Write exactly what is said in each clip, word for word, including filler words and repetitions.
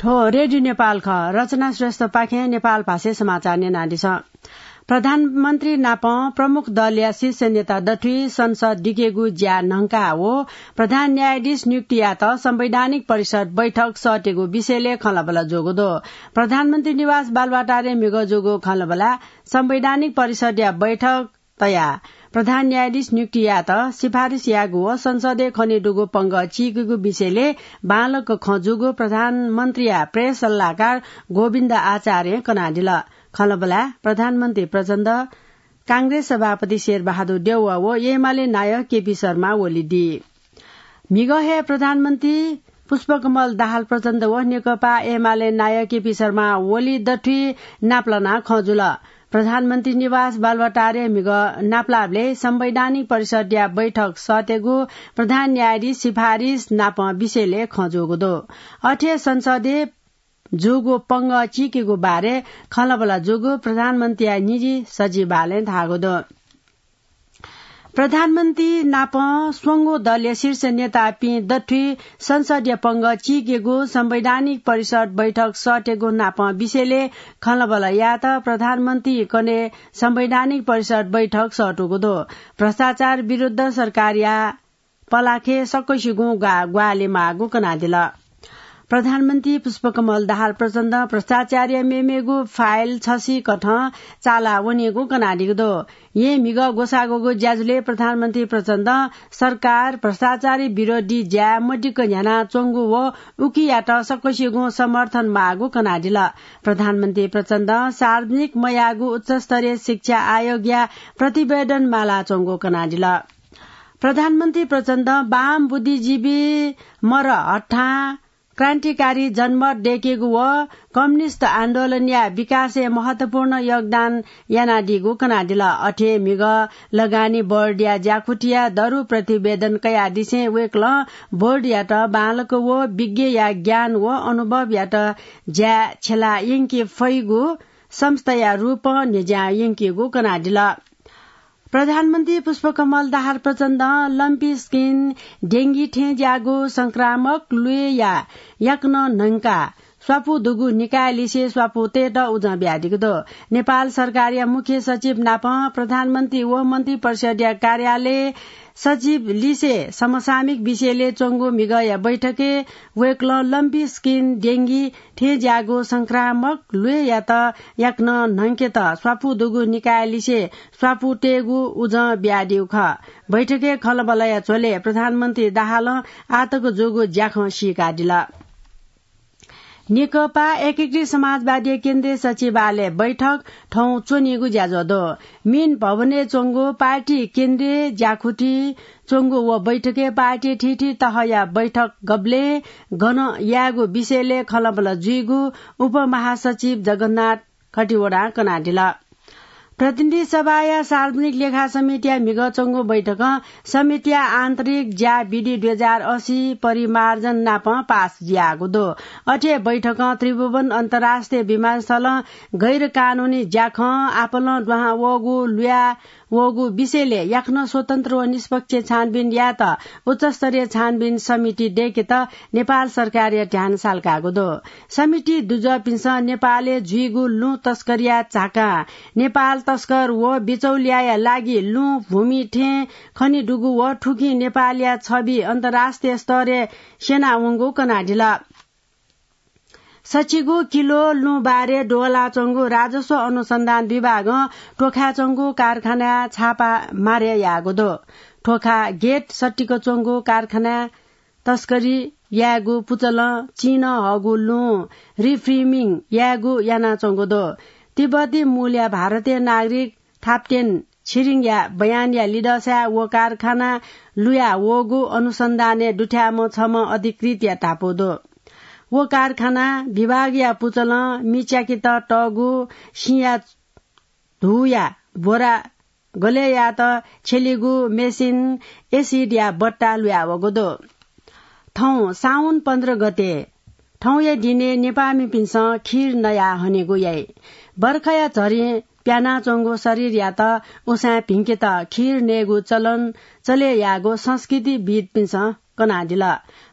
थ्व रेडियो नेपाल खः। रचना श्रेष्ठपाखें नेपाल भाषाय् समाचार न्यनादिसँ। प्रधानमन्त्री नाप प्रमुख दलया शीर्ष नेता दथुइ संसद दिकेगु ज्या न्हंका व प्रधान न्यायाधीश नियुक्ति यायेत संवैधानिक परिषद बैठक सःतेगु विषयलय् खँल्हाबल्हा जूगु दु। प्रधानमन्त्री निवास बालुवाटारय् म्हिगः जूगु खँल्हाबल्हाय् संवैधानिक परिषदया बैठक तयाः प्रधान न्यायाधीश नियुक्ति यायेत सिफारिस यायेगु व संसदय् खनेदुगु पंगः चीकेगु विषयलय् बांलाक खँ जूगु प्रधानमन्त्रीया प्रेस सल्लाहकार गोविन्द आचार्यं कनादिल। खँल्हाबल्हाय् प्रधानमन्त्री प्रचण्ड, कांग्रेस सभापति शेरबहादुर देउवा व एमाले नायः केपी शर्मा ओली दी। म्हिगः हे प्रधानमन्त्री पुष्पकमल दाहाल प्रचण्ड व नेकपा एमाले नायः केपी शर्मा ओली दथुइ नापलानाः खँ जुल। प्रधानमन्त्री निवास बालुवाटारय् म्हिगः नापलाःबलय् संवैधानिक परिषदया बैठक सःतेगु प्रधान न्यायाधीश सिफारिस नाप विषयलय् खँ जूगु दु। अथे संसदय् जूगु पंगः चीकेगु बारे खँल्हाबल्हा जूगु प्रधानमन्त्रीया निजी सचिवालयं धाःगु दु। प्रधानमन्त्री नाप स्वंगू दलया शीर्ष नेतापिं दथुइ संसदया पंगः चीकेगु संवैधानिक परिषद बैठक सःतेगु नाप विषयलय् खँल्हाबल्हा यायेत प्रधानमन्त्री कने संवैधानिक परिषद बैठक सःतूगु दु। भ्रष्टाचार विरुद्ध सरकारया पलाखे सकसिगुं ग्वा-, ग्वाहालि माःगु कनादिल। प्रधानमन्त्री पुष्पकमल दाहाल प्रचण्ड भ्रष्टाचारया मेमेगु फाइल छसिकथं चाला वनीगु कनादिगु दु। येँ म्हिगः ग्वसाः ग्वःगु ज्याझ्वलय् प्रधानमन्त्री प्रचण्ड सरकार भ्रष्टाचारी विरोधी ज्या मदिक्क न्ह्यानाच्वंगु व उकियात सकसिगुं समर्थन माःगु कनादिल। प्रधानमन्त्री प्रचण्ड सार्वजनिक मयाःगु उच्चस्तरीय शिक्षा आयोगया प्रतिवेदन मालाच्वंगु कनादिल। प्रधानमन्त्री प्रचण्ड वाम बुद्धिजीवी मरहट्टां क्रान्तिकारी जनमत दय्केगु व कम्युनिस्ट आन्दोलनया विकासय् महत्वपूर्ण योगदान यानादीगु कनादिल। अथे म्हिगः लगानी बोर्डया ज्याकुथिया दरु प्रतिवेदन कयादिसें वय्कलं बोर्डयात बांलाक व विज्ञया ज्ञान व अनुभवयात ज्याय् छ्यला यंके फइगु संस्थाया रूपं न्ह्यज्यां यंकीगु कनादिल। प्रधानमन्त्री पुष्पकमल दाहाल प्रचण्डं लम्पी स्किन डेंगी थें ज्याःगु संक्रामक ल्वय्या याकनं न्हंकाः स्वापू दुगु निकायलिसे स्वापू तयेत उजं बियादीगु दु। नेपाल सरकारया मुख्य सचिव नाप प्रधानमन्त्री व मन्त्री परिषदया कार्यालय सचिव लिसे समसामयिक विषयलय् च्वंगु म्हिगःया बैठकय् वय्कलं लम्पी स्किन डेंगी थें ज्याःगु संक्रामक ल्वय्यात याकनं न्हंकेत स्वापू दुगु निकायलिसे स्वापू तयेगु उजं बियादीगु खः। बैठकय् खँल्हाबल्हाया झ्वलय् प्रधानमन्त्री दाहालं आःतक जूगु ज्याखँ सीकादिल। नेकपा एकीकृत समाजवादी केन्द्रीय सचिवालय बैठक थौं च्वनीगु ज्याझ्वः दु। मिन भवनय् च्वंगु पार्टी केन्द्रीय ज्याकुथि च्वंगु व बैठकय् पार्टी थीथी तहया बैठक गबलें गन यायेगु विषयलय् खँल्हाबल्हा जुइगु उपमहासचिव जगन्नाथ खतिवडां कनादिल। प्रतिनिधि सभाया सार्वजनिक लेखा समितिया म्हिगः च्वंगु बैठकं समितिया आन्तरिक ज्या विधि दुई हजार असी परिमार्जन नाप पास जुयागु दु। अथे बैठकं त्रिभुवन अन्तर्राष्ट्रिय विमानस्थलं गैर कानूनी ज्याखँ, आपालं दुहां वःगु, लुया वःगु विषयलय् याकनं स्वतन्त्र व निष्पक्ष छानबिन यायेत उच्चस्तरीय छानबिन समिति दय्केत नेपाल सरकारया ध्यान सालकागु दु। समिति दुजःपिन्सं नेपालय् जुइगु लुँ तस्करीया झाकां नेपाल तस्कर व बिचौलियाया लागि लुँ भूमि थें खनेदुगु व थुकिं नेपालया छबि अन्तर्राष्ट्रिय स्तरय् स्यनावंगु कनादिल। सच्चिगू किलो लुँ बारे द्वहलाच्वंगु राजस्व अनुसन्धान विभागं तोखाय् च्वंगु कारखानाय् छापा मारे याःगु दु। तोखा गेट सट्टिक च्वंगु कारखानाय् तस्करी यायेगु पुचलं चिं हःगु लुँ reframing यायेगु यानाच्वंगु दु। तिब्बती मूलया भारतीय नागरिक थाप्तेन छिरिङया बयानया लिधंसाय् व कारखाना लुया वःगु अनुसन्धानय् दुथ्याःम्ह छम्ह अधिकृतया धापू दु। व कारखाना विभागया पुचलं मि च्याकेत तःगु सिँया धूया बोरा गले यायेत छ्यलीगु मेसिन एसिडया बट्टा लुया वःगु दु। थौं साउन पन्ध्र गते थौंया दिनय् नेपाःमिपिन्सं खीर नयाः हनेगु याइ। बर्खाया झरीं प्यानाच्वंगु शरीरयात उसाँय् भिंकेत खीर नयेगु चलन चले याःगु संस्कृतिविद्पिन्सं कनादिल।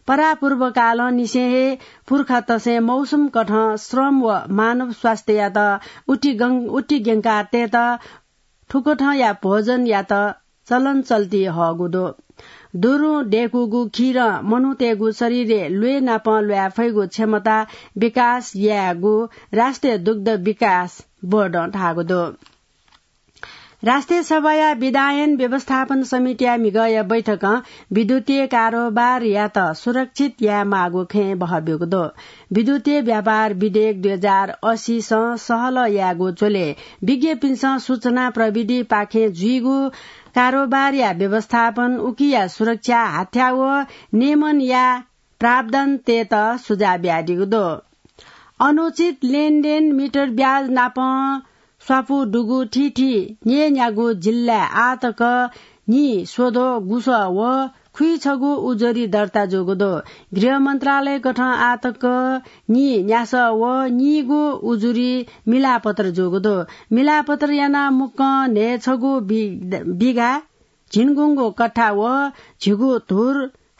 परापूर्वकालं निसें हे पुर्खातसें मौसम कथं श्रम व मानव स्वास्थ्ययात उतिगं-, उतिग्यंकातय्त थुकथंया भोजनयात चलन चल्ती हःगु दु। दुरुं दय्कूगु खीरं मनूतय्गु शरीरय् ल्वय् नाप ल्वाये फइगु क्षमता विकास यायेगु राष्ट्रिय दुग्ध विकास बोर्डं धाःगु दु। राष्ट्रिय सभाया विधायन व्यवस्थापन समितिया म्हिगःया बैठकं विद्युतीय कारोबारयात सुरक्षित यायेमाःगु खँय् बहःब्यूगु दु। विद्युतीय व्यापार विधेयक दुई हजार अस्सीसं सहलह यायेगु झ्वलय् विज्ञपिन्सं सूचना प्रविधिपाखें जुइगु कारोबारया व्यवस्थापन, उकिया सुरक्षा, हाथ्या व नियमनया प्रावधानतय्त सुझाव बियादीगु दु। अनुचित लेनदेन, मिटर ब्याज नाप स्वापू दुगु थीथी न्यय्न्यागू जिल्लाय् आःतक नीस्वद्वः गुसः व खुइछगू उजुरी दर्ता जूगु दु। गृह मन्त्रालय कथं आःतक नीन्यासः व नीगू उजुरी मिलापत्र जूगु दु। मिलापत्र यानाः मुक्कं न्हय्छगू बि-, बिघा झिंगुंगू कट्ठा व झिगू धुर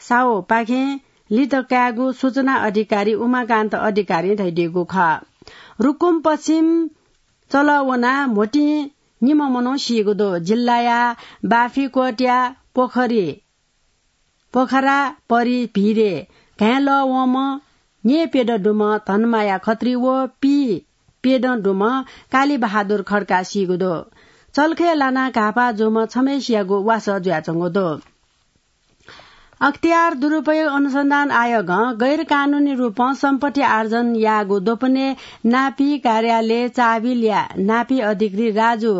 साहुपाखें लित कायेगु सूचना अधिकारी उमाकान्त अधिकारीं धयादीगु खः। रुकुम पश्चिम चलः वनाः म्होतिं निम्ह मनू सीगु दु। जिल्लाया बाफिकोटया पोखरी, पोखरा परि भिरय् घाँय् लः वंम्ह न्येप्यदँ दुम्ह धनमाया खत्री व पीप्यदँ दुम्ह कालीबहादुर खड्का सीगु दु। चल्खय् लानाः घाःपाः जूम्ह छम्हय्सियागु वासः जुयाच्वंगु दु। अख्तियार दुरुपयोग अनुसन्धान आयोगं गैरकानुनी रूपं सम्पत्ति आर्जन याःगु द्वपनय् नापी कार्यालय चाबिलया नापी अधिकृत राजु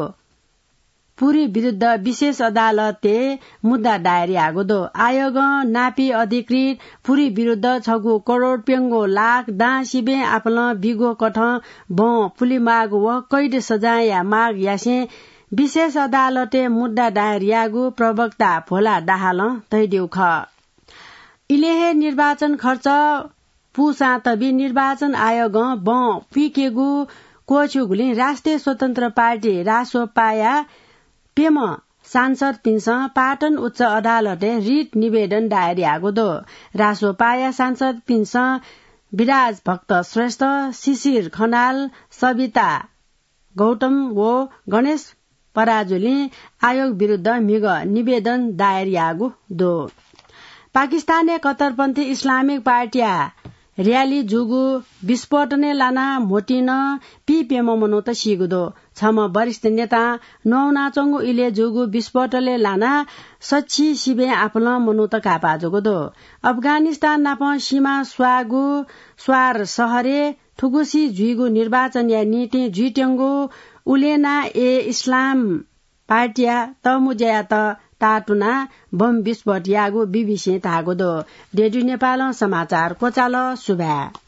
पुरी विरुद्ध विशेष अदालतय् मुद्दा दायर याःगु दु। आयोगं नापी अधिकृत पुरी विरुद्ध छगू करोड प्यंगू लाख दां सिबें आपालं बिगु कथं बँ पुलेमाःगु व कैद सजायया माग यासें विशेष अदालतय् मुद्दा दायर याःगु प्रवक्ता भोला दाहालं धयादीगु खः। इलय् हे निर्वाचन खर्च पूसां तबि निर्वाचन आयोगं बँ पुइकेगु क्वःछिउगुलिं राष्ट्रिय स्वतन्त्र पार्टी रासोपाया प्यम्ह सांसदपिन्सं पाटन उच्च अदालतय् रिट निवेदन दायर याःगु दु। रासोपाया सांसदपिन्सं विराज भक्त श्रेष्ठ, शिशिर खनाल, सविता गौतम व गणेश पराजुलीं आयोग विरुद्ध म्हिगः निवेदन दायर याःगु दु। पाकिस्तानय् कट्टरपन्थी इस्लामिक पार्टीया र्‍याली जूगु विस्फोटनय् लानाः म्होतिं नं पीप्यम्ह मनूत सीगु दु। छम्ह वरिष्ठ नेतां नवानाच्वंगु इलय् जूगु विस्फोटलय् लानाः सछि सिबें आपालं मनूत घाःपाः जूगु दु। अफगानिस्तान नाप सीमा स्वाःगु स्वार शहरय् थुगुसी जुइगु निर्वाचनया निंतिं जुइत्यंगु उलेना ए इस्लाम पार्टीया तःमुँज्यायात ताःतुनाः बम विस्फोट याःगु बीबीसीं धाःगु दु। रेडियो नेपालं समाचार क्वचाल। सुभाय्।